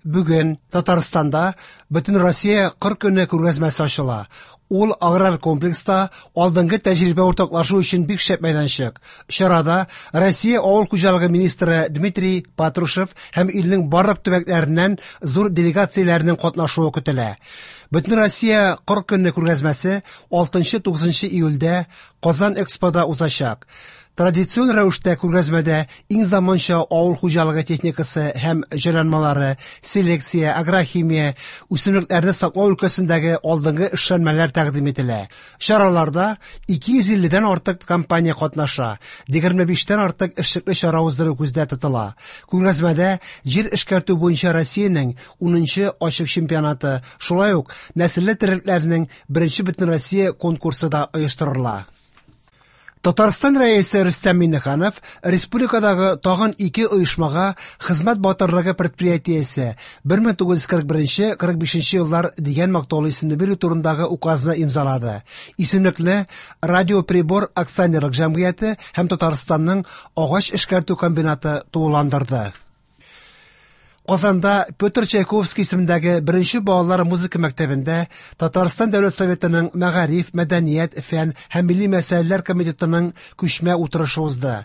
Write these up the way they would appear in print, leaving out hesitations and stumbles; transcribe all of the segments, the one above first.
Бүген Татарстанда Бөтенроссия кыр көне күргәзмәсе ачыла. Ул аграр комплекста алдынгы тәҗрибә уртаклашу өчен бик шәп мәйданчык. Чарада Россия авыл хуҗалыгы министры Дмитрий Патрушев һәм илнең барлык төбәкләреннән зур делегацияләрнең катнашуы көтелә. Бөтенроссия кыр көне күргәзмәсе 6-9 июльдә Казан Экспода узачак. Традицион рәвештә күргәзмәдә иң заманча авыл хуҗалыгы техникасы һәм җайланмалары, селекция, агрохимия, үсемлекләрне саклау өлкәсендәге алдынгы эшләнмәләр тәкъдим ителә. Чараларда 250 дән артык компания катнаша, 25 тән артык эшлекле чара уздыру күздә тотыла. Күргәзмәдә җир эшкәртү буенча Россиянең 10нчы ачык чемпионаты, шулай ук нәселле терлекләрнең беренче бөтенроссия конкурсы да оештырыла. Татарстан Рәисе Рөстәм Миңнеханов республикадагы тагын ике оешмага Хезмәт батырлыгы предприятиесе 1941-45 еллар дигән мактаулы исемне бирү турындагы указны имзалады. Исемлекне Радиоприбор акционерлык җәмгыяте һәм Татарстанның агач эшкәртү комбинаты тулыландырды. Казанда Петр Чайковский исемендәге беренче балалар музыка мәктәбендә Татарстан Дәүләт Советының Мәгариф, мәдәният, фән һәм милли мәсьәләләр комитетының күчмә утырышы узды.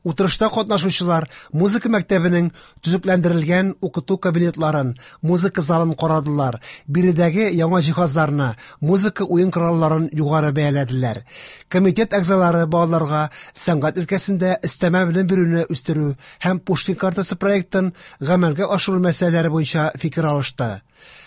Утырышта катнашучылар музыка мәктәбенең төзекләндерелгән укыту кабинетларын, музыка залын карадылар, биредәге яңа җиһазларны, музыка уен коралларын югары бәяләделәр. Комитет әгъзалары балаларга сәнгать өлкәсендә өстәмә белем бирүне үстерү һәм Пушкин картасы проектын гамәлгә ашыру мәсьәләләре буенча фикер алышты.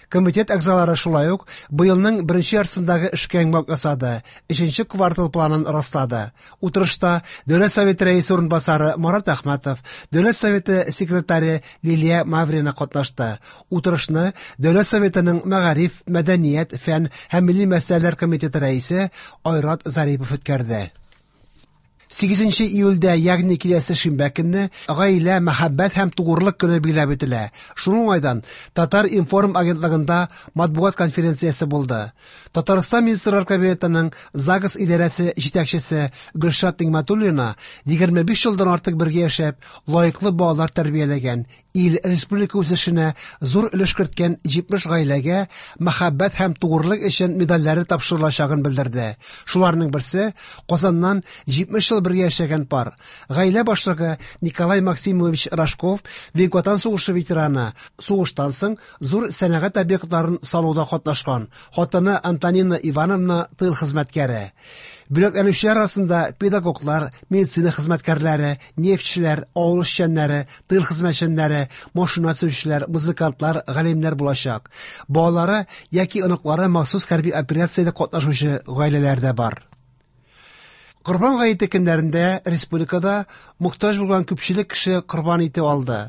Комитет әгъзалары шулай ук быелның беренче яртысындагы эшкә йомгак ясады, өченче квартал планын раслады. Утырышта Дәүләт Советы рәисе урынбасары Марат Әхмәтов, Дәүләт Советы секретаре Лилия Маврина катнашты. Утырышны Дәүләт Советының Мәгариф, мәдәният, фән һәм милли мәсьәләләр комитеты рәисе Айрат Зарипов үткәрде. 8 июльдә, ягъни киләсе шимбә көнне, гаилә, мәхәббәт һәм тугрылык көне билгеләп үтелә. Шуның уңайдан Татар-информ агентлыгында матбугат конференциясе булды. Татарстан Министрлар Кабинетының ЗАГС идарәсе җитәкчесе Гөлшат Нигъмәтуллина 25 елдан артык бергә яшәп, лаеклы балалар тәрбияләгән, ил, республика үсешенә зур өлеш керткән 70 гаиләгә мәхәббәт һәм тугрылык өчен медальләре тапшырылачагын белдерде. Шуларның берсе Казаннан 70 ел бергә яшәгән пар. Гаилә башлыгы Николай Максимович Рожков, Бөек Ватан сугышы ветераны, сугыштан соң зур сәнәгать объектларын салуда катнашкан. Хатыны Антонина Ивановна тыл хезмәткәре. Бүләкләнүчеләр арасында педагоглар, медицина хезмәткәрләре, нефтьчеләр, авыл эшчәннәре, тыл хезмәтчәннәре, машина төзүчеләр, музыкантлар, галимнәр булачак. Балалары яки оныклары махсус хәрби операциядә катнашучы гаиләләр дә бар. Корбан гаете көннәрендә республикада мохтаҗ булган күпчелек кеше корбан ите алды.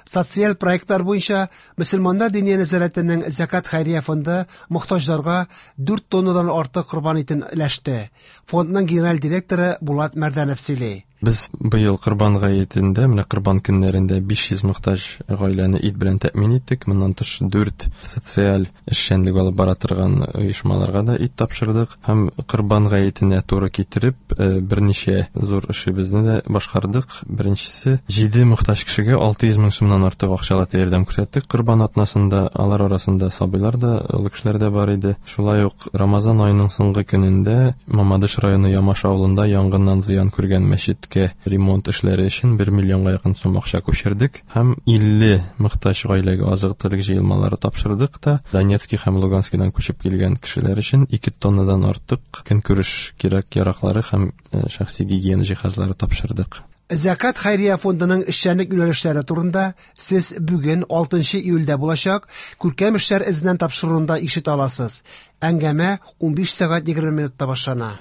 Социаль проектлар буенча Мөселманнар диния нәзарәтенең Зәкат хәйрия фонды мохтаҗларга 4 тоннадан артык корбан итен өләште. Фондның генераль директоры Булат Мәрдәнов сөйли. Без быел Корбан гаетендә, менә Корбан көннәрендә 500 мохтаҗ гаиләне ит белән тәэмин иттек. Моннан тыш 4 социаль эшчәнлек алып бара торган оешмаларга да ит тапшырдык. Һәм Корбан гаетенә туры китереп, берничә зур эшебезне дә башкардык. Беренчесе, 7 мохтаҗ кешегә 600 мең сумнан артык акчалата ярдәм күрсәттек Корбан атнасында. Алар арасында сабыйлар да, олы кешеләр дә бар иде. Шулай ук Рамазан аеның соңгы көнендә Мамадыш районы Ямаш авылында янгыннан зыян күргән мәчеткә ремонт эшләре өчен 1 миллионга якын сум акча күчердек һәм 50 мохтаҗ гаиләгә азык-төлек җыелмалары тапшырдык та, Донецки һәм Луганскидан күчеп килгән кешеләр өчен 2 тоннадан артык көнкүреш кирәк-яраклары һәм шәхси гигиена җиһазлары тапшырдык. Зәкат хәйрия фондының эшчәнлек юнәлешләре турында сез бүген 6 июльдә булачак Күркәм эшләр эзеннән тапшыруында ишетә аласыз. Әңгәмә 15 сәгать 20 минутта башлана.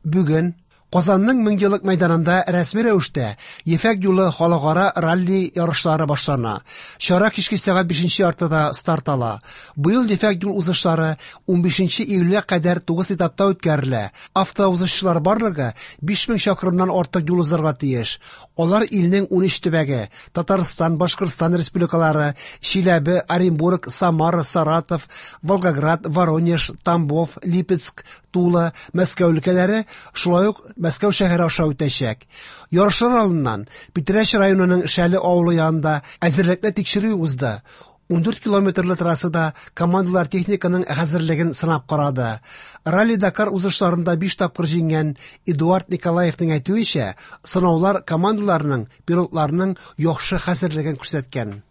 Бүген Казанның Меңьеллык мәйданында рәсми рәвештә Ефәк юлы халыкара ралли ярышлары башлана. Чара кичке сәгать 5 яртыда старт ала. Быел Ефәк юл узышлары 15 июльгә кадәр 9 этапта үткәрелә. Автоузышчылар барлыгы 5000 чакрымнан артык юл узарга тиеш. Алар илнең 13 төбәге: Татарстан, Башкортстан республикалары, Чиләбе, Оренбург, Самара, Саратов, Волгоград, Воронеж, Тамбов, Липецк, Тула, Мәскәү өлкәләре, шулай ук Мәскәү шәһәре аша үтәчәк. Ярышлар алдыннан Питрәч районының Шәле авылы янында әзерлекле тикшерү узды. 14 километрлы трассада командалар техниканың хәзерлеген сынап карады. Ралли-Дакар узышларында 5 тапкыр җиңгән Эдуард Николаевның әйтүенчә, сынаулар командаларның, пилотларның яхшы хәзерлеген күрсәткән.